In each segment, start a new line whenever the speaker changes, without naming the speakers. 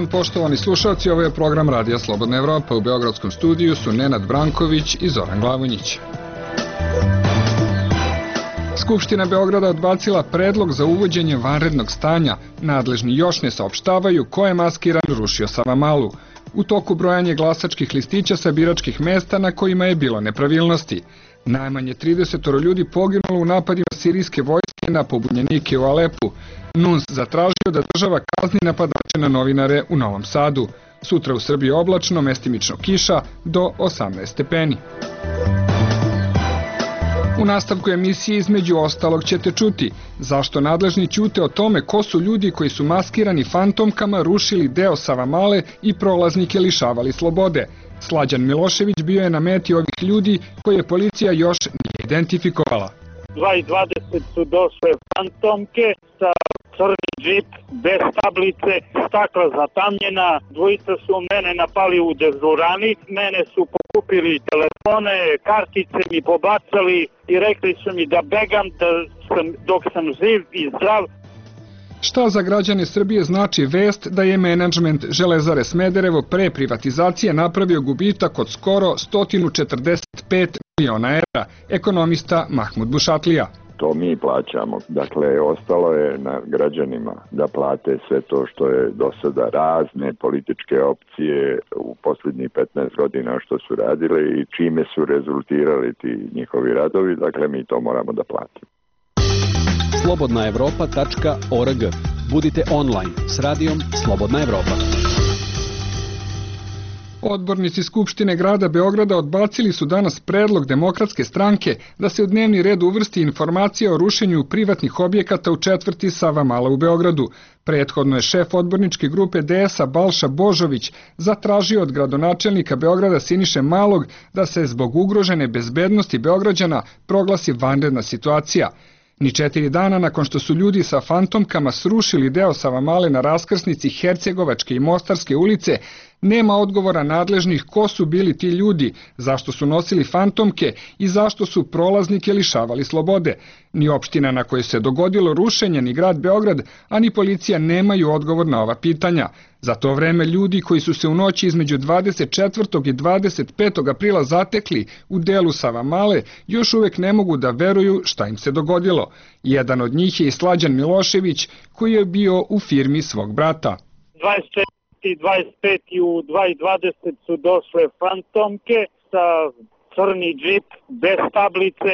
dan, poštovani slušalci, ovo je program Radija Slobodna Evropa. U Beogradskom studiju su Nenad Branković i Zoran Glavonjić. Skupština Beograda odbacila predlog za uvođenje vanrednog stanja. Nadležni još ne saopštavaju ko je maskiran rušio Savamalu. U toku brojanja glasačkih listića sa biračkih mesta na kojima je bilo nepravilnosti. Najmanje 30 ljudi poginulo u napadima sirijske vojske na pobunjenike u Alepu. NUNS zatražio da država kazni napadače na novinare u Novom Sadu. Sutra u Srbiji oblačno, mestimično kiša do 18 stepeni. U nastavku emisije između ostalog ćete čuti zašto nadležni ćute o tome ko su ljudi koji su maskirani fantomkama rušili deo Savamale i prolaznike lišavali slobode. Slađan Milošević bio je na meti ovih ljudi koje policija još nije identifikovala.
2:20 su došle fantomke sa crni džip, bez tablice, stakla zatamnjena, dvojica su mene napali u dežurani, mene su pokupili telefone, kartice mi pobacali i rekli su mi da begam dok sam živ i zdrav.
Šta za građane Srbije znači vest da je menadžment Železare Smederevo pre privatizacije napravio gubitak od skoro 145 miliona evra, ekonomista Mahmud Bušatlija.
To mi plaćamo. Dakle, ostalo je na građanima da plate sve to što je do sada razne političke opcije u posljednjih 15 godina što su radile i čime su rezultirali ti njihovi radovi. Dakle, mi to moramo da platimo.
slobodnaevropa.org. Budite online s radijom Slobodna Evropa.
Odbornici Skupštine grada Beograda odbacili su danas predlog Demokratske stranke da se u dnevni red uvrsti informacija o rušenju privatnih objekata u četvrti Savamala u Beogradu. Prethodno je šef odborničke grupe DS-a Balša Božović zatražio od gradonačelnika Beograda Siniše Malog da se zbog ugrožene bezbednosti Beograđana proglasi vanredna situacija. Ni 4 dana nakon što su ljudi sa fantomkama srušili deo Savamale na raskrsnici Hercegovačke i Mostarske ulice, nema odgovora nadležnih ko su bili ti ljudi, zašto su nosili fantomke i zašto su prolaznike lišavali slobode. Ni opština na kojoj se dogodilo rušenje, ni grad Beograd, a ni policija nemaju odgovor na ova pitanja. Za to vreme ljudi koji su se u noći između 24. i 25. aprila zatekli u delu Savamale još uvek ne mogu da veruju šta im se dogodilo. Jedan od njih je i Slađan Milošević koji je bio u firmi svog brata.
25 i u 2:20 su došle fantomke sa crni džip, bez tablice,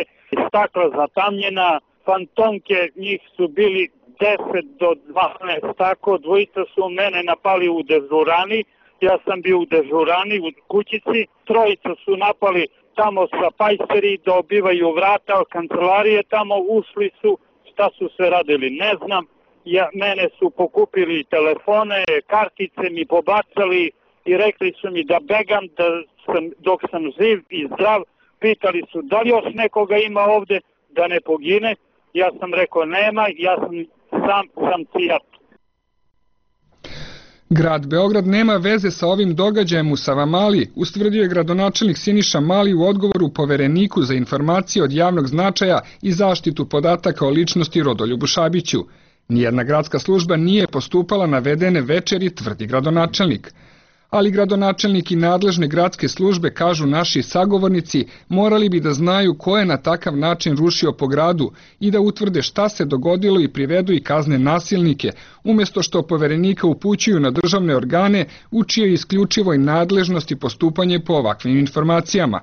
stakla zatamnjena. Fantomke, njih su bili 10 do 12, tako, dvojica su mene napali u dežurani, ja sam bio u dežurani, u kućici, trojica su napali tamo sa pajseri, dobivaju vrata, kancelarije tamo, ušli su, šta su sve radili, ne znam. Mene su pokupili telefone, kartice mi pobacali i rekli su mi da begam dok sam živ i zdrav. Pitali su da li još nekoga ima ovde da ne pogine. Ja sam rekao nema, ja sam cijat.
Grad Beograd nema veze sa ovim događajem u Savamali, ustvrdio je gradonačelnik Siniša Mali u odgovoru povereniku za informacije od javnog značaja i zaštitu podataka o ličnosti Rodoljubu Šabiću. Nijedna gradska služba nije postupala navedene večeri, tvrdi gradonačelnik. Ali gradonačelnik i nadležne gradske službe, kažu naši sagovornici, morali bi da znaju ko je na takav način rušio po gradu i da utvrde šta se dogodilo i privedu i kazne nasilnike, umjesto što poverenika upućuju na državne organe u čijoj isključivoj nadležnosti postupanje po ovakvim informacijama.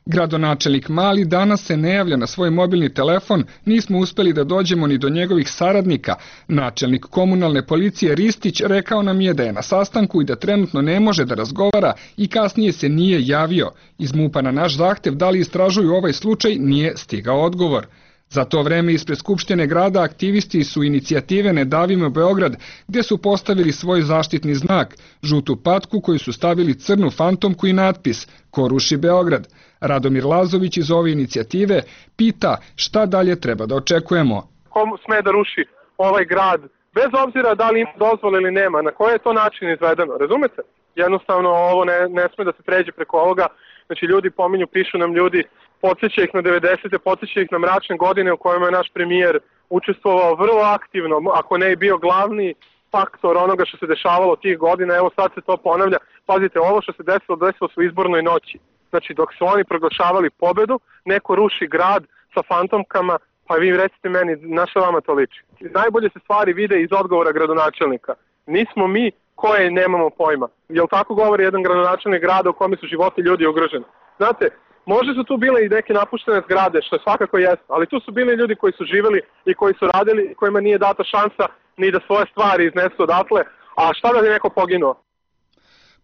Gradonačelnik Mali danas se ne javlja na svoj mobilni telefon, nismo uspeli da dođemo ni do njegovih saradnika. Načelnik komunalne policije Ristić rekao nam je da je na sastanku i da trenutno ne može da razgovara i kasnije se nije javio. Iz MUP-a na naš zahtev da li istražuju ovaj slučaj nije stigao odgovor. Za to vreme ispred Skupštine grada aktivisti su inicijative Ne davimo Beograd, gdje su postavili svoj zaštitni znak, žutu patku koju su stavili crnu fantomku i natpis Ko ruši Beograd. Radomir Lazović iz ove inicijative pita šta dalje treba da očekujemo.
Ko sme da ruši ovaj grad, bez obzira da li ima dozvole ili nema, na koji je to način izvedeno, razumete? Jednostavno ovo ne sme da se pređe preko ovoga, znači ljudi pominju, pišu nam ljudi, podsjeća ih na 90. podsjeća ih na mračne godine u kojima je naš premijer učestvovao vrlo aktivno, ako ne i bio glavni faktor onoga što se dešavalo tih godina, evo sad se to ponavlja. Pazite, ovo što se desilo se u izbornoj noći. Znači, dok su oni proglašavali pobedu, neko ruši grad sa fantomkama, pa vi recite meni, na što vama to liči? Najbolje se stvari vide iz odgovora gradonačelnika. Nismo mi koje nemamo pojma. Jel tako govori jedan gradonačelnik grada u kome su životi ljudi ugroženi? Znate, možda su tu bile i neke napuštene zgrade, što svakako jeste, ali tu su bili ljudi koji su živeli i koji su radili i kojima nije data šansa ni da svoje stvari iznesu odatle, a šta da je neko poginuo?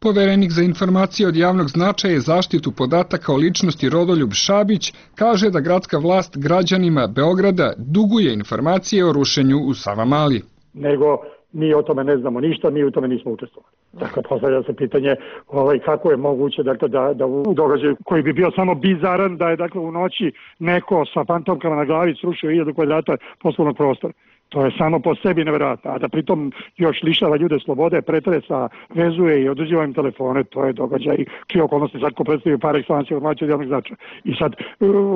Poverenik za informacije od javnog značaja i zaštitu podataka o ličnosti Rodoljub Šabić kaže da gradska vlast građanima Beograda duguje informacije o rušenju u Savamali.
Nego mi o tome ne znamo ništa, mi u tome nismo učestvovali. Dakle, postavlja se pitanje kako je moguće da u događaju koji bi bio samo bizaran, da je dakle u noći neko sa fantomkama na glavi srušio 1000 kvadrata poslovnog prostora. To je samo po sebi nevjerojatno, a da pritom još lišava ljude slobode, pretresa, vezuje i oduzima im telefone, to je događaj čije okolnosti sad ko predstavio par excellence informacije od javnog značaja. I sad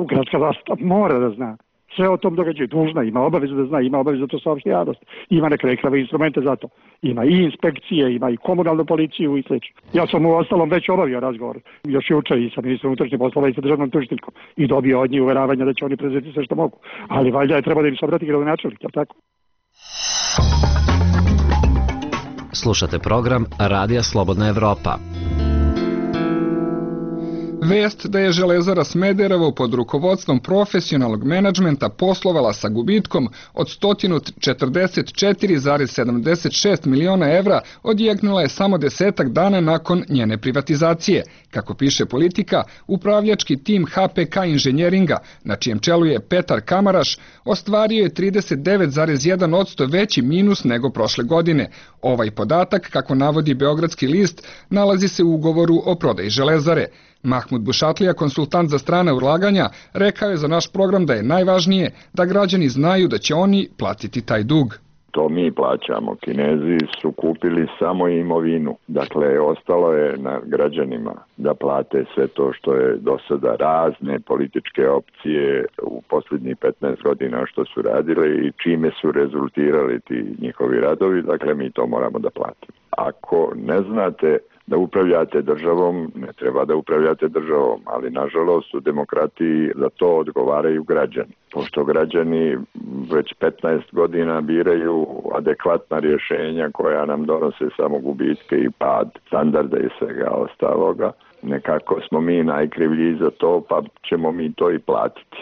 gradska vlast mora da zna sve o tom događaju, dužna, ima obavezu da zna, ima obavezu da to saopšti javnost, ima neke rekrave instrumente za to, ima i inspekcije, ima i komunalnu policiju i sl. Ja sam u ostalom već obavio razgovor, još juče i sa ministrom unutrašnjih poslova i sa državnom tužiteljkom i dobio od njih uveravanja da će oni prezeti sve što mogu, ali valjda je treba da im se obrati gradonačelnik, je li tako?
Slušate program Radija Slobodna Evropa.
Vest da je Železara Smederevo pod rukovodstvom profesionalnog menadžmenta poslovala sa gubitkom od 144,76 miliona evra odjeknula je samo 10 dana nakon njene privatizacije. Kako piše Politika, upravljački tim HPK Inženjeringa, na čijem čelu je Petar Kamaraš, ostvario je 39,1% veći minus nego prošle godine. Ovaj podatak, kako navodi Beogradski list, nalazi se u ugovoru o prodaji Železare. Mahmud Bušatlija, konsultant za strane ulaganja, rekao je za naš program da je najvažnije da građani znaju da će oni platiti taj dug.
To mi plaćamo. Kinezi su kupili samo imovinu. Dakle, ostalo je na građanima da plate sve to što je do sada razne političke opcije u posljednjih 15 godina što su radile i čime su rezultirali ti njihovi radovi. Dakle, mi to moramo da platimo. Ako ne znate da upravljate državom, ne treba da upravljate državom, ali nažalost u demokratiji za to odgovaraju građani. Pošto građani već 15 godina biraju adekvatna rješenja koja nam donose samo gubitke i pad standarda i svega ostaloga, nekako smo mi najkrivlji za to, pa ćemo mi to i platiti.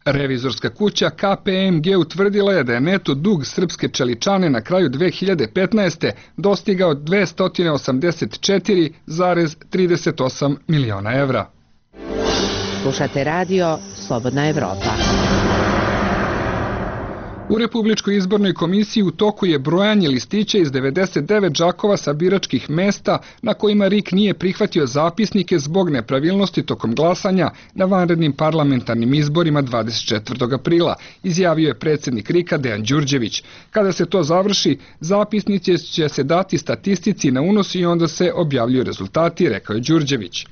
Revizorska kuća KPMG utvrdila je da je neto dug srpske čeličane na kraju 2015. dostigao 284,38 miliona evra.
Slušate radio Slobodna Evropa.
U Republičkoj izbornoj komisiji u toku je brojanje listića iz 99 džakova sa biračkih mesta na kojima RIK nije prihvatio zapisnike zbog nepravilnosti tokom glasanja na vanrednim parlamentarnim izborima 24. aprila, izjavio je predsjednik RIK-a Dejan Đurđević. Kada se to završi, zapisnici će se dati statistici na unos i onda se objavljuju rezultati, rekao je Đurđević.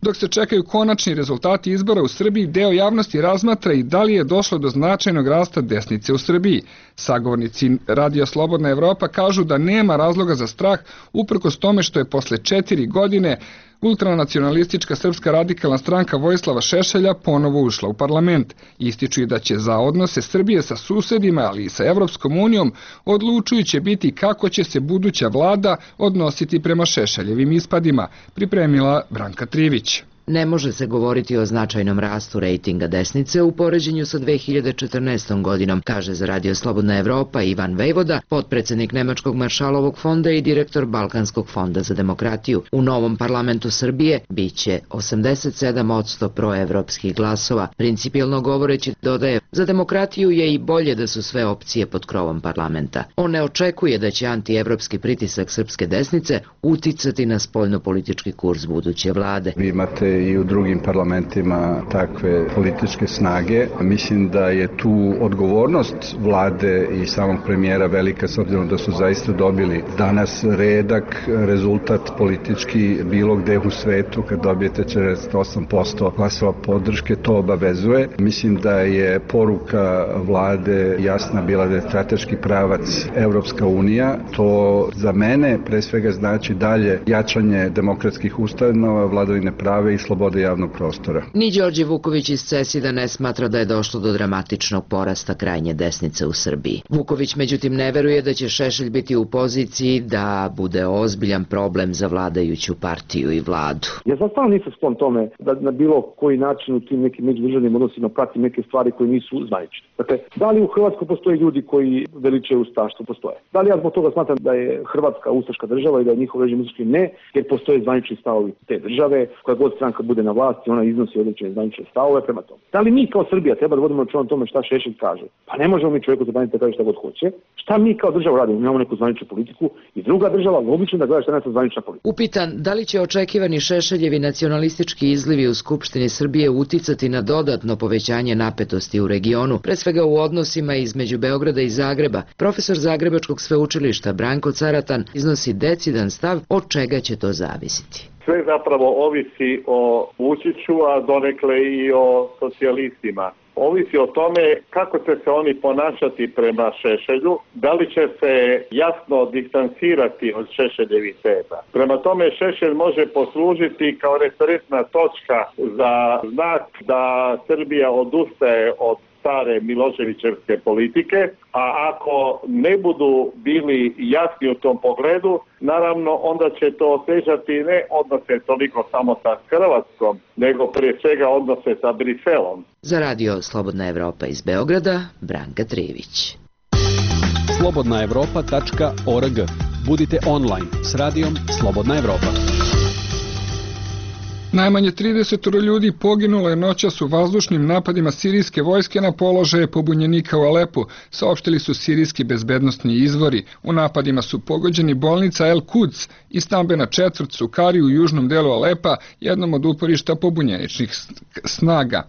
Dok se čekaju konačni rezultati izbora u Srbiji, deo javnosti razmatra i da li je došlo do značajnog rasta desnice u Srbiji. Sagovornici Radija Slobodna Evropa kažu da nema razloga za strah uprkos tome što je posle 4 godine ultranacionalistička Srpska radikalna stranka Vojislava Šešelja ponovo ušla u parlament. Ističu i da će za odnose Srbije sa susedima, ali i sa Evropskom unijom, odlučujuće biti kako će se buduća vlada odnositi prema Šešeljevim ispadima, pripremila Branka Trivić.
Ne može se govoriti o značajnom rastu rejtinga desnice u poređenju sa 2014. godinom, kaže za Radio Slobodna Evropa Ivan Vejvoda, potpredsjednik Nemačkog maršalovog fonda i direktor Balkanskog fonda za demokratiju. U novom parlamentu Srbije biće 87% proevropskih glasova. Principijelno govoreći, dodaje, za demokratiju je i bolje da su sve opcije pod krovom parlamenta. On ne očekuje da će antievropski pritisak srpske desnice uticati na spoljnopolitički kurs buduće vlade.
Vi imate postoje i u drugim parlamentima takve političke snage. Mislim da je tu odgovornost vlade i samog premijera velika, s obzirom da su zaista dobili danas redak rezultat politički bilo gde u svetu. Kad dobijete 48% glasova podrške, to obavezuje. Mislim da je poruka vlade jasna bila da je strateški pravac Evropska unija. To za mene pre svega znači dalje jačanje demokratskih ustanova, vladavine prava i slobode javnog prostora.
Ni Đorđe Vuković iz CESID-a ne smatra da je došlo do dramatičnog porasta krajnje desnice u Srbiji. Vuković međutim ne veruje da će Šešelj biti u poziciji da bude ozbiljan problem za vladajuću partiju i vladu.
Ja sad stvarno nisam sklon tome da na bilo koji način u tim nekim međudržavnim odnosima pratim neke stvari koje nisu zvanične. Dakle, da li u Hrvatskoj postoje ljudi koji veličaju ustaštvo? Postoje. Da li ja zbog toga smatram da je Hrvatska ustaška država i da je njihov režim ustaški? Ne, jer postoje zvanični stavovi te države. Koja god stranka bude na vlasti, ona iznosi određene zvanične stavove prema tome. Da li mi kao Srbija treba da vodimo računa o tome šta Šešelj kaže? Pa ne možemo mi čovjeku zabraniti da kaže šta god hoće. Šta mi kao država radimo? Imamo neku zvaničnu politiku i druga država logično da gleda šta je naša zvanična politika.
Upitan da li će očekivani Šešeljevi nacionalistički izlivi u Skupštini Srbije uticati na dodatno povećanje napetosti u regionu, pre svega u odnosima između Beograda i Zagreba, profesor Zagrebačkog sveučilišta Branko Caratan iznosi decidan stav od čega će to zavisiti.
Sve zapravo ovisi o Vučiću, a donekle i o socijalistima. Ovisi o tome kako će se oni ponašati prema Šešelju, da li će se jasno distancirati od Šešeljevih teza. Prema tome Šešelj može poslužiti kao referentna točka za znak da Srbija odustaje od stare Miloševićevske politike, a ako ne budu bili jasni u tom pogledu, naravno onda će to otežati ne odnose toliko samo sa Hrvatskom, nego prije svega odnose sa Briselom.
Za radio Slobodna Evropa iz Beograda, Branka Trivić.
slobodnaevropa.org. Budite online s radijom Slobodna Evropa.
Najmanje 30 ljudi poginulo je noćas u vazdušnim napadima sirijske vojske na položaje pobunjenika u Alepu, saopštili su sirijski bezbednosni izvori. U napadima su pogođeni bolnica El Quds i stambena četvrt Sukari u južnom delu Alepa, jednom od uporišta pobunjeničnih snaga.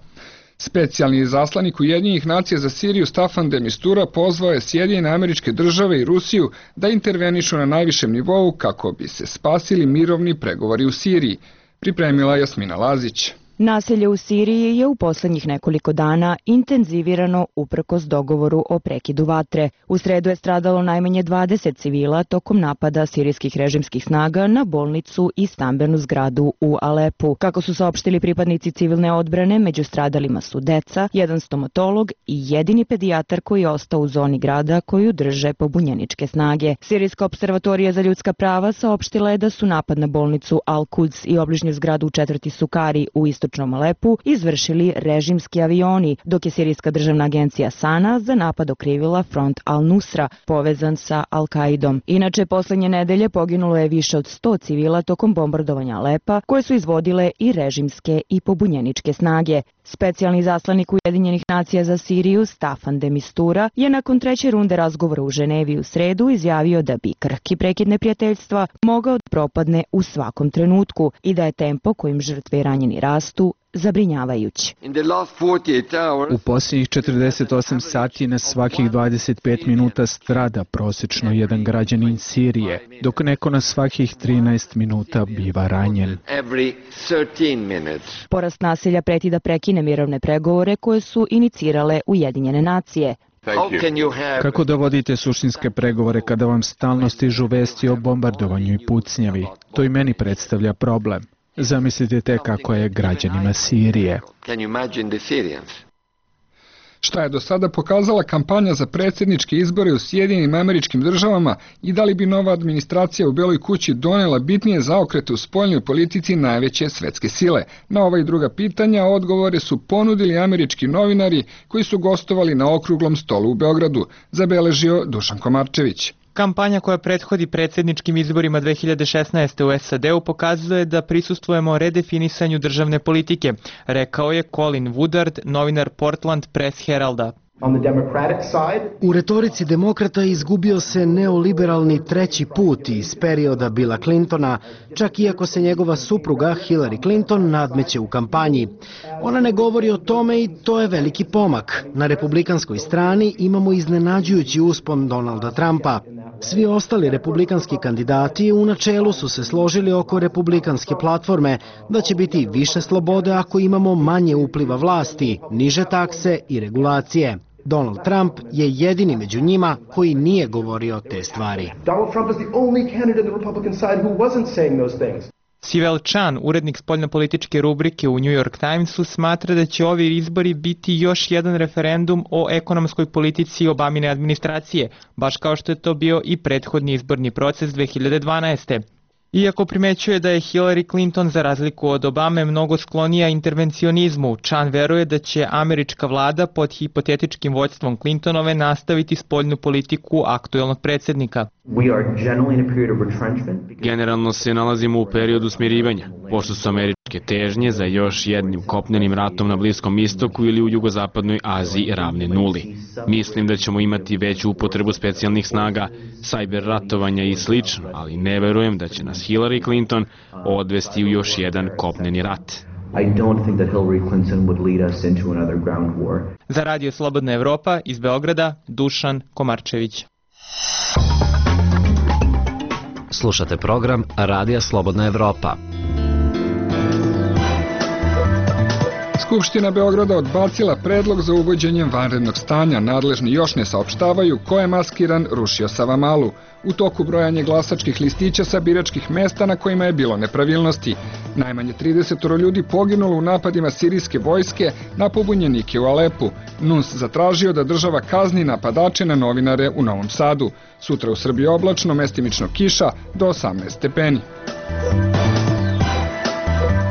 Specijalni izaslanik Ujedinjenih nacija za Siriju Staffan de Mistura pozvao je Sjedinjene Američke Države i Rusiju da intervenišu na najvišem nivou kako bi se spasili mirovni pregovori u Siriji. Pripremila Jasmina Lazić.
Nasilje u Siriji je u poslednjih nekoliko dana intenzivirano uprkos dogovoru o prekidu vatre. U sredu je stradalo najmanje 20 civila tokom napada sirijskih režimskih snaga na bolnicu i stambenu zgradu u Alepu. Kako su saopštili pripadnici civilne odbrane, među stradalima su deca, jedan stomatolog i jedini pedijatar koji je ostao u zoni grada koju drže pobunjeničke snage. Sirijska observatorija za ljudska prava saopštila je da su napad na bolnicu Al Quds i obližnju zgradu u četvrti Sukari u istočnom Alepu izvršili režimski avioni, dok je sirijska državna agencija Sana za napad okrivila front Al-Nusra, povezan sa Al-Kaidom. Inače, poslednje nedelje poginulo je više od 100 civila tokom bombardovanja Alepa, koje su izvodile i režimske i pobunjeničke snage. Specijalni zaslanik Ujedinjenih nacija za Siriju Staffan de Mistura je nakon treće runde razgovora u Ženevi u sredu izjavio da bi krhki prekid neprijateljstva mogao da propadne u svakom trenutku i da je tempo kojim žrtve i ranjeni rastu zabrinjavajući.
U posljednjih 48 sati na svakih 25 minuta strada prosečno jedan građanin Sirije, dok neko na svakih 13 minuta biva ranjen.
Porast nasilja preti da prekine mirovne pregovore koje su inicirale Ujedinjene nacije.
Kako da vodite suštinske pregovore kada vam stalno stižu vesti o bombardovanju i pucnjavi? To i meni predstavlja problem. Zamislite te kako je građanima Sirije.
Šta je do sada pokazala kampanja za predsjedničke izbore u Sjedinjenim Američkim Državama i da li bi nova administracija u Beloj kući donela bitnije zaokrete u spoljnoj politici najveće svetske sile? Na ova i druga pitanja odgovore su ponudili američki novinari koji su gostovali na okruglom stolu u Beogradu, zabeležio Dušan Komarčević.
Kampanja koja prethodi predsjedničkim izborima 2016. u SAD-u pokazuje da prisustvujemo redefinisanju državne politike, rekao je Colin Woodard, novinar Portland Press Heralda.
U retorici demokrata izgubio se neoliberalni treći put iz perioda Billa Clintona, čak iako se njegova supruga Hillary Clinton nadmeće u kampanji. Ona ne govori o tome i to je veliki pomak. Na republikanskoj strani imamo iznenađujući uspon Donalda Trumpa. Svi ostali republikanski kandidati u načelu su se složili oko republikanske platforme da će biti više slobode ako imamo manje upliva vlasti, niže takse i regulacije. Donald Trump je jedini među njima koji nije govorio te stvari.
Sivel Chan, urednik spoljnopolitičke rubrike u New York Timesu, smatra da će ovi izbori biti još jedan referendum o ekonomskoj politici Obamine administracije, baš kao što je to bio i prethodni izborni proces 2012. Iako primećuje da je Hillary Clinton za razliku od Obame mnogo sklonija intervencionizmu, Chan veruje da će američka vlada pod hipotetičkim vođstvom Clintonove nastaviti spoljnu politiku aktuelnog predsjednika.
Generalno se nalazimo u periodu smirivanja, pošto su američke težnje za još jednim kopnenim ratom na Bliskom istoku ili u jugozapadnoj Aziji ravne nuli. Mislim da ćemo imati veću upotrebu specijalnih snaga, sajber ratovanja i slično, ali ne verujem da će nas Hillary Clinton odvesti u još jedan kopneni rat.
Za Radio Slobodna Evropa iz Beograda, Dušan Komarčević.
Slušate program Radija Slobodna Evropa.
Skupština Beograda odbacila predlog za uvođenjem vanrednog stanja. Nadležni još ne saopštavaju ko je maskiran rušio Savamalu. U toku brojanja glasačkih listića sa biračkih mesta na kojima je bilo nepravilnosti. Najmanje 30 ljudi poginulo u napadima sirijske vojske na pobunjenike u Alepu. NUNS zatražio da država kazni napadače na novinare u Novom Sadu. Sutra u Srbiji oblačno, mestimično kiša do 18 stepeni.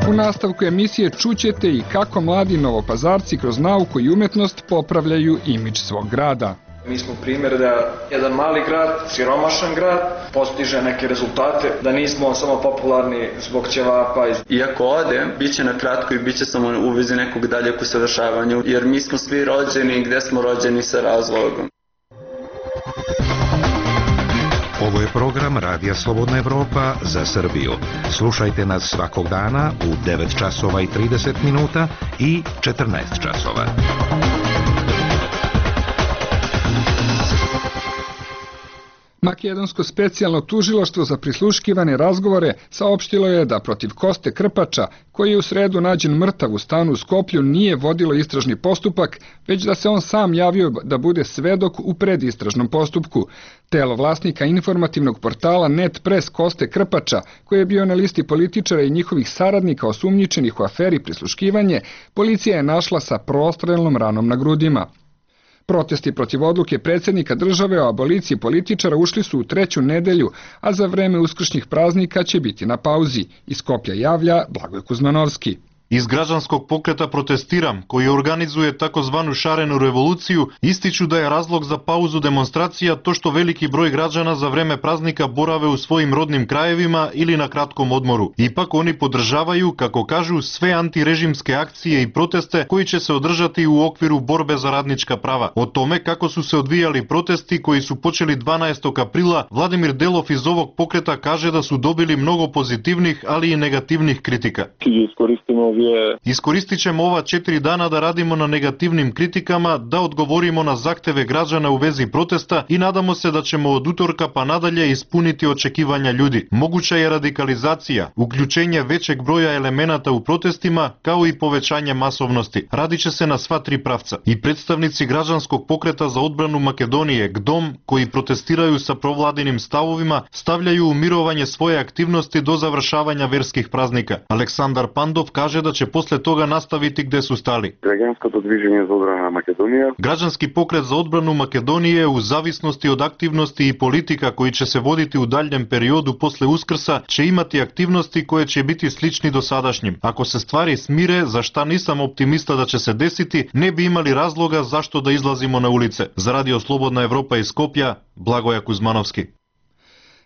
U nastavku emisije čućete i kako mladi novopazarci kroz nauku i umetnost popravljaju imidž svog grada.
Mi smo primjer da jedan mali grad, siromašan grad, postiže neke rezultate, da nismo samo popularni zbog ćevapa.
Iako ode, bit će na kratko i bit će samo u vezi nekog daljeg usavršavanja, jer mi smo svi rođeni gde smo rođeni sa razlogom.
Ovo je program Radija Slobodna Evropa za Srbiju. Slušajte nas svakog dana u 9 časova i 30 minuta i 14 časova.
Makedonsko specijalno tužilaštvo za prisluškivane razgovore saopštilo je da protiv Koste Krpača, koji je u sredu nađen mrtav u stanu u Skoplju, nije vodilo istražni postupak, već da se on sam javio da bude svedok u predistražnom postupku. Telo vlasnika informativnog portala Net Press Koste Krpača, koji je bio na listi političara i njihovih saradnika osumnjičenih u aferi prisluškivanje, policija je našla sa prostrelnom ranom na grudima. Protesti protiv odluke predsjednika države o aboliciji političara ušli su u treću nedelju, a za vreme uskršnjih praznika će biti na pauzi. Iz Skoplja javlja Blagoje Kuzmanovski.
Iz građanskog pokreta Protestiram, koji organizuje takozvanu šarenu revoluciju, ističu da je razlog za pauzu demonstracija to što veliki broj građana za vreme praznika borave u svojim rodnim krajevima ili na kratkom odmoru. Ipak oni podržavaju, kako kažu, sve antirežimske akcije i proteste koji će se održati u okviru borbe za radnička prava. O tome kako su se odvijali protesti koji su počeli 12. aprila, Vladimir Delov iz ovog pokreta kaže da su dobili mnogo pozitivnih, ali i negativnih kritika. Iskoristit ćemo ova 4 dana da radimo na negativnim kritikama, da odgovorimo na zahteve građana u vezi protesta i nadamo se da ćemo od utorka pa nadalje ispuniti očekivanja ljudi. Moguća je radikalizacija, uključenje većeg broja elemenata u protestima, kao i povećanje masovnosti. Radit će se na sva 3 pravca. I predstavnici građanskog pokreta za odbranu Makedonije, GDOM, koji protestiraju sa provladinim stavovima, stavljaju u mirovanje svoje aktivnosti do završavanja verskih praznika. Aleksandar Pandov kaže da će posle toga nastaviti gde su stali. Građanski pokret za odbranu Makedonije u zavisnosti od aktivnosti i politika koji će se voditi u daljem periodu posle Uskrsa će imati aktivnosti koje će biti slični dosadašnjim. Ako se stvari smire, za šta nisam optimista da će se desiti, ne bi imali razloga zašto da izlazimo na ulice. Za Radio Slobodna Evropa iz Skoplja, Blagoje Kuzmanovski.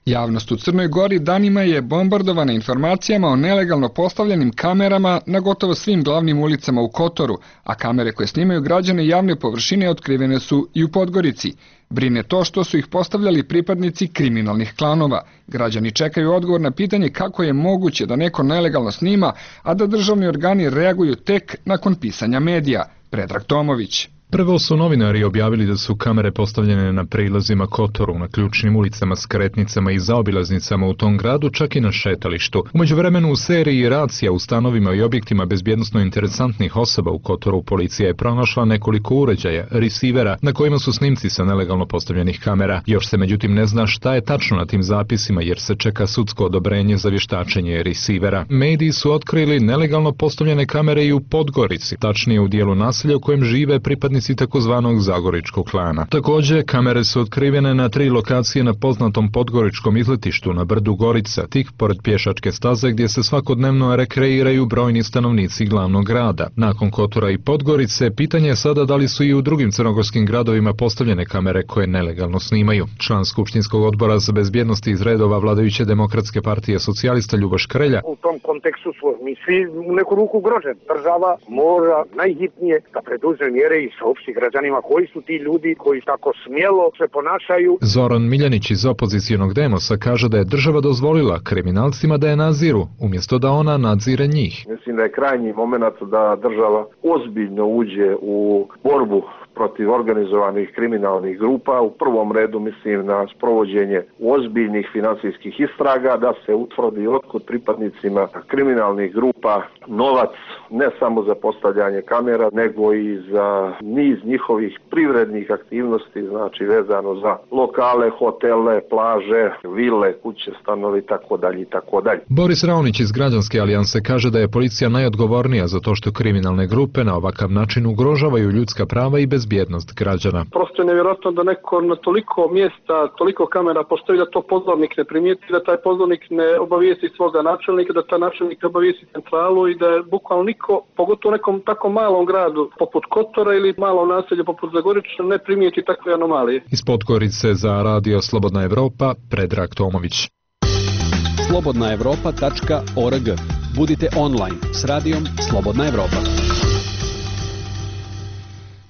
Javnost u Crnoj Gori danima je bombardovana informacijama o nelegalno postavljenim kamerama na gotovo svim glavnim ulicama u Kotoru, a kamere koje snimaju građane javne površine otkrivene su i u Podgorici. Brine to što su ih postavljali pripadnici kriminalnih klanova. Građani čekaju odgovor na pitanje kako je moguće da neko nelegalno snima, a da državni organi reaguju tek nakon pisanja medija. Predrag Tomović.
Prvo su novinari objavili da su kamere postavljene na prilazima Kotoru, na ključnim ulicama, skretnicama i zaobilaznicama u tom gradu, čak i na šetalištu. U međuvremenu u seriji racija u stanovima i objektima bezbjednosno interesantnih osoba u Kotoru policija je pronašla nekoliko uređaja, resivera, na kojima su snimci sa nelegalno postavljenih kamera. Još se međutim ne zna šta je tačno na tim zapisima jer se čeka sudsko odobrenje za vještačenje resivera. Mediji su otkrili nelegalno postavljene kamere i u Podgorici, tačnije u dijelu naselja u kojem žive pripadnici takozvanog Zagoričkog klana. Također, kamere su otkrivene na 3 lokacije na poznatom podgoričkom izletištu na brdu Gorica, tik pored pješačke staze gdje se svakodnevno rekreiraju brojni stanovnici glavnog grada. Nakon Kotora i Podgorice, pitanje je sada da li su i u drugim crnogorskim gradovima postavljene kamere koje nelegalno snimaju. Član Skupštinskog odbora za bezbjednost iz redova vladajuće Demokratske partije socijalista Ljuboš Krelja.
U tom kontekstu smo mi svi u neku ruku ugroženi. Država mora najhitnije da preduzme mjere i saopšti građanima koji su ti ljudi koji tako smjelo se ponašaju.
Zoran Miljanić iz opozicionog Demosa kaže da je država dozvolila kriminalcima da je nadziru, umjesto da ona nadzire njih.
Mislim da je krajnji moment da država ozbiljno uđe u borbu protiv organizovanih kriminalnih grupa. U prvom redu mislim na sprovođenje ozbiljnih financijskih istraga, da se utvrdi otkud pripadnicima kriminalnih grupa novac ne samo za postavljanje kamera, nego i za niz njihovih privrednih aktivnosti, znači vezano za lokale, hotele, plaže, vile, kuće, stanovi, tako dalje.
Boris Raonić iz Građanske alijanse kaže da je policija najodgovornija za to što kriminalne grupe na ovakav način ugrožavaju ljudska prava i bezbjednost građana.
Prosto je nevjerojatno da neko na toliko mjesta, toliko kamera postoji da to pozornik ne primijeti, da taj pozornik ne obavijesti svoga načelnika, da taj načelnik obavijesti centralu i da je bukvalno niko, pogotovo u nekom tako malom gradu poput Kotora ili malom naselju poput Zagoriča, ne primijeti takve anomalije.
Iz Podgorice za Radio Slobodna Evropa, Predrag Tomović.
slobodnaevropa.org. Budite online s radijom Slobodna Evropa.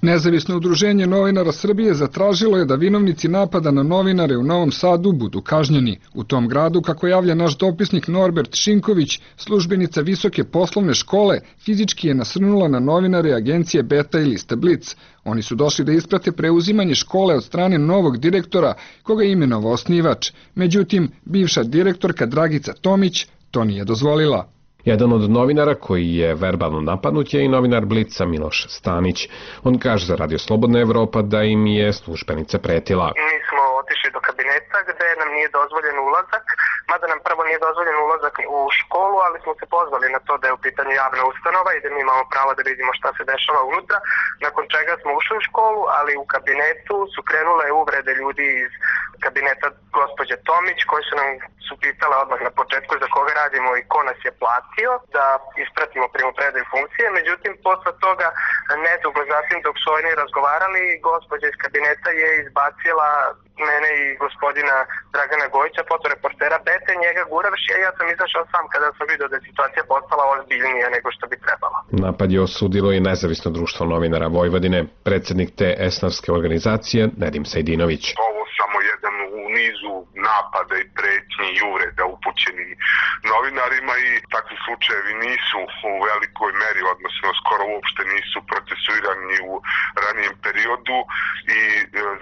Nezavisno udruženje novinara Srbije zatražilo je da vinovnici napada na novinare u Novom Sadu budu kažnjeni. U tom gradu, kako javlja naš dopisnik Norbert Šinković, službenica Visoke poslovne škole fizički je nasrnula na novinare agencije Beta i liste Blic. Oni su došli da isprate preuzimanje škole od strane novog direktora, koga je imenovao osnivač. Međutim, bivša direktorka Dragica Tomić to nije dozvolila.
Jedan od novinara koji je verbalno napadnut je i novinar Blica Miloš Stanić. On kaže za Radio Slobodna Evropa da im je službenica pretila.
Mi smo otišli do kabineta gde nam nije dozvoljen ulazak, mada nam prvo nije dozvoljen ulazak u školu, ali smo se pozvali na to da je u pitanju javna ustanova i da mi imamo pravo da vidimo šta se dešava unutra, nakon čega smo ušli u školu, ali u kabinetu su krenule uvrede ljudi iz kabineta gospođe Tomić, koji su nam pitale odmah na početku za koga radimo i ko nas je platio da ispratimo primopredaju funkcije. Međutim, posle toga, nedugo zatim dok su oni razgovarali, gospođa iz kabineta je izbacila mene i gospodina Dragana Gojića, fotoreportera Bete, njega guravši, a ja sam izašao sam kada sam vidio da je situacija postala ozbiljnija nego što bi trebalo.
Napad je osudilo i Nezavisno društvo novinara Vojvodine, predsjednik te esnavske organizacije Nedim Sejdinović.
Ovo samo jedan u nizu napada i pretnji i uvreda upućeni novinarima i takvi slučajevi nisu u velikoj meri, odnosno skoro uopšte nisu procesuirani u ranijem periodu i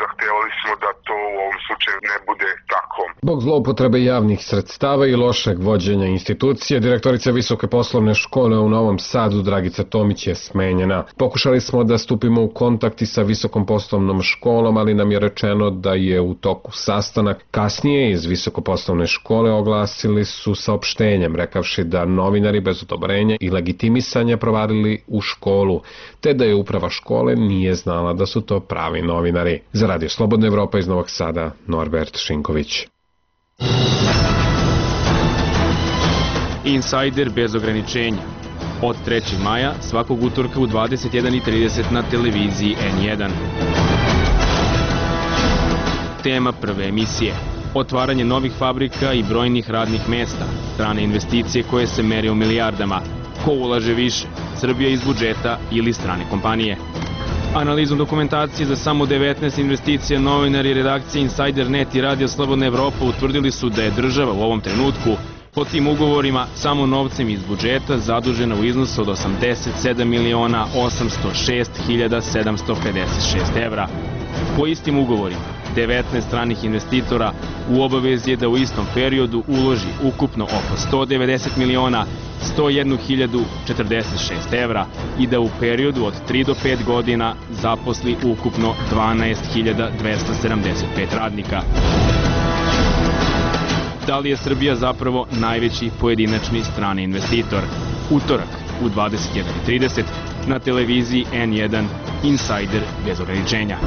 zahtevali smo da to u ovom slučaju ne bude tako.
Zbog zloupotrebe javnih sredstava i lošeg vođenja institucije, direktorica Visoke poslovne škole u Novom Sadu Dragica Tomić je smenjena. Pokušali smo da stupimo u kontakt sa Visokom poslovnom školom, ali nam je rečeno da je u toku sastanak. Kasnije iz Visokoposlovne škole oglasili su saopštenjem, rekavši da novinari bez odobrenja i legitimisanja provarili u školu, te da je uprava škole nije znala da su to pravi novinari. Za Radio Slobodna Evropa iz Novog Sada, Norbert Šinković.
Insider bez ograničenja. Od 3. maja svakog utorka u 21:30 na televiziji N1. Tema prve emisije. Otvaranje novih fabrika i brojnih radnih mesta, strane investicije koje se mere u milijardama. Ko ulaže više, Srbija iz budžeta ili strane kompanije? Analizom dokumentacije za samo 19 investicija novinari redakcije Insider.net i Radio Slobodna Evropa utvrdili su da je država u ovom trenutku po tim ugovorima samo novcem iz budžeta zadužena u iznosu od 87.806.756 evra. Po istim ugovorima, 19 stranih investitora u obavezi je da u istom periodu uloži ukupno oko 190.101.046 evra i da u periodu od 3 do 5 godina zaposli ukupno 12.275 radnika. Da li je Srbija zapravo najveći pojedinačni strani investitor? Utorak u 21:30 na televiziji N1 Insider bez ograničenja.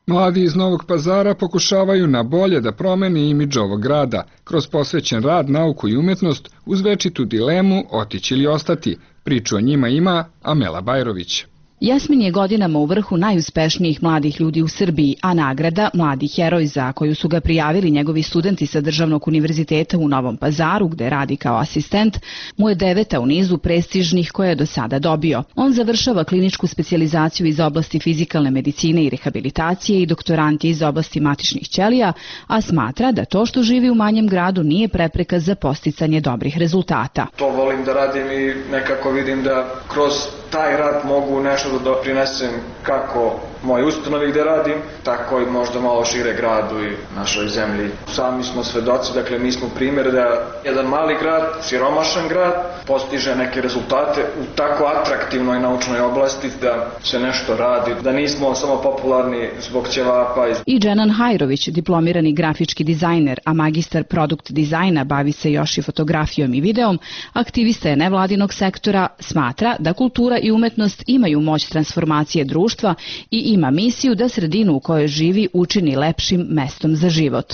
Mladi iz Novog Pazara pokušavaju na bolje da promene imidž ovog grada, kroz posvećen rad, nauku i umetnost, uz večitu dilemu otići ili ostati. Priču o njima ima Amela Bajrović.
Jasmin je godinama u vrhu najuspešnijih mladih ljudi u Srbiji, a nagrada Mladi heroj za koju su ga prijavili njegovi studenti sa Državnog univerziteta u Novom Pazaru, gde radi kao asistent, mu je 9. u nizu prestižnih koje je do sada dobio. On završava kliničku specijalizaciju iz oblasti fizikalne medicine i rehabilitacije i doktorant je iz oblasti matičnih ćelija, a smatra da to što živi u manjem gradu nije prepreka za posticanje dobrih rezultata.
To volim da radim i nekako vidim da kroz taj rad mogu nešto da doprinesem kako moj ustanovi gde radim, tako i možda malo šire gradu i našoj zemlji. Sami smo svedoci, dakle mi smo primjer da jedan mali grad, siromašan grad, postiže neke rezultate u tako atraktivnoj naučnoj oblasti da se nešto radi, da nismo samo popularni zbog ćevapa.
I Dženan Hajrović, diplomirani grafički dizajner, a magistar produkt dizajna, bavi se još i fotografijom i videom, aktivista je nevladinog sektora, smatra da kultura i umetnost imaju moć transformacije društva i ima misiju da sredinu u kojoj živi učini lepšim mestom za život.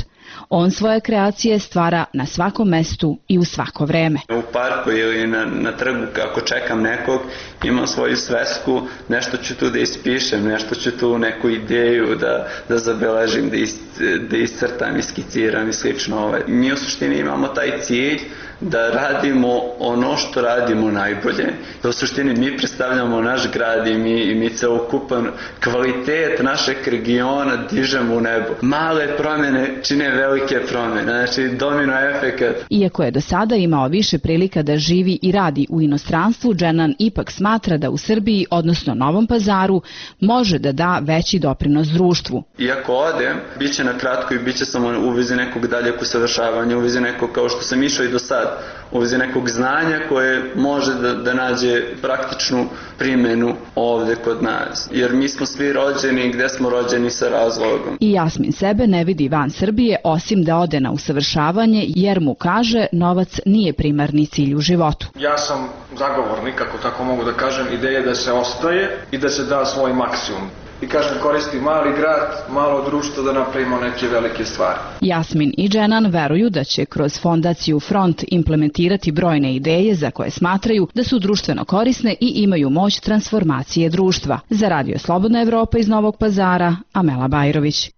On svoje kreacije stvara na svakom mestu i u svako vreme.
U parku ili na trgu kako čekam nekog, imam svoju svesku, nešto ću tu da ispišem, nešto ću tu neku ideju da zabeležim, da iscrtam, iskiciram i slično. Mi u suštini imamo taj cilj da radimo ono što radimo najbolje. Da u suštini mi predstavljamo naš grad i mi celokupan kvalitet našeg regiona dižemo u nebo. Male promjene čine velike promjene, znači domino efekat.
Iako je do sada imao više prilika da živi i radi u inostranstvu, Dženan ipak smatra da u Srbiji, odnosno Novom Pazaru, može da da veći doprinos društvu.
Iako odem, bit će na kratko i bit će samo u vezi nekog daljeg usavršavanja, u vezi nekog kao što sam išao i do sad, u vezi nekog znanja koje može da nađe praktičnu primjenu ovde kod nas. Jer mi smo svi rođeni gde smo rođeni sa razlogom.
I Jasmin sebe ne vidi van Srbije osim da ode na usavršavanje jer mu kaže novac nije primarni cilj u životu.
Ja sam zagovornik, ako tako mogu da kažem, ideje da se ostaje i da se da svoj maksimum. I kažem, koristi mali grad, malo društvo da napravimo neke velike stvari.
Jasmin i Dženan veruju da će kroz fondaciju Front implementirati brojne ideje za koje smatraju da su društveno korisne i imaju moć transformacije društva. Za Radio Slobodna Evropa iz Novog Pazara, Amela Bajrović.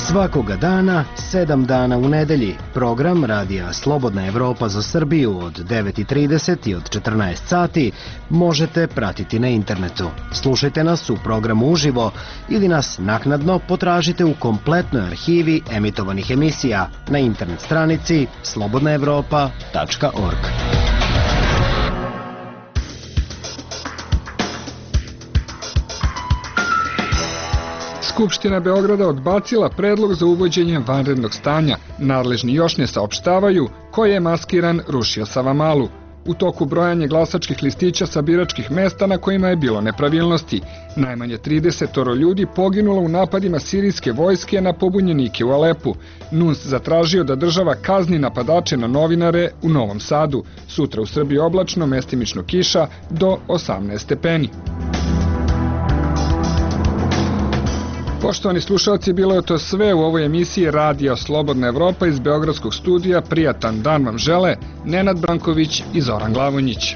Svakoga dana, 7 dana u nedelji, program Radija Slobodna Evropa za Srbiju od 9:30 i od 14 sati možete pratiti na internetu. Slušajte nas u programu uživo ili nas naknadno potražite u kompletnoj arhivi emitovanih emisija na internet stranici slobodnaevropa.org.
Skupština Beograda odbacila predlog za uvođenje vanrednog stanja. Nadležni još ne saopštavaju ko je maskiran rušio Savamalu. U toku brojanja glasačkih listića sa biračkih mesta na kojima je bilo nepravilnosti. Najmanje 30 ljudi poginulo u napadima sirijske vojske na pobunjenike u Alepu. NUNS zatražio da država kazni napadače na novinare u Novom Sadu. Sutra u Srbiji oblačno, mestimično kiša do 18 stepeni. Poštovani slušalci, bilo je to sve u ovoj emisiji Radija Slobodna Evropa iz Beogradskog studija. Prijatan dan vam žele Nenad Branković i Zoran Glavonjić.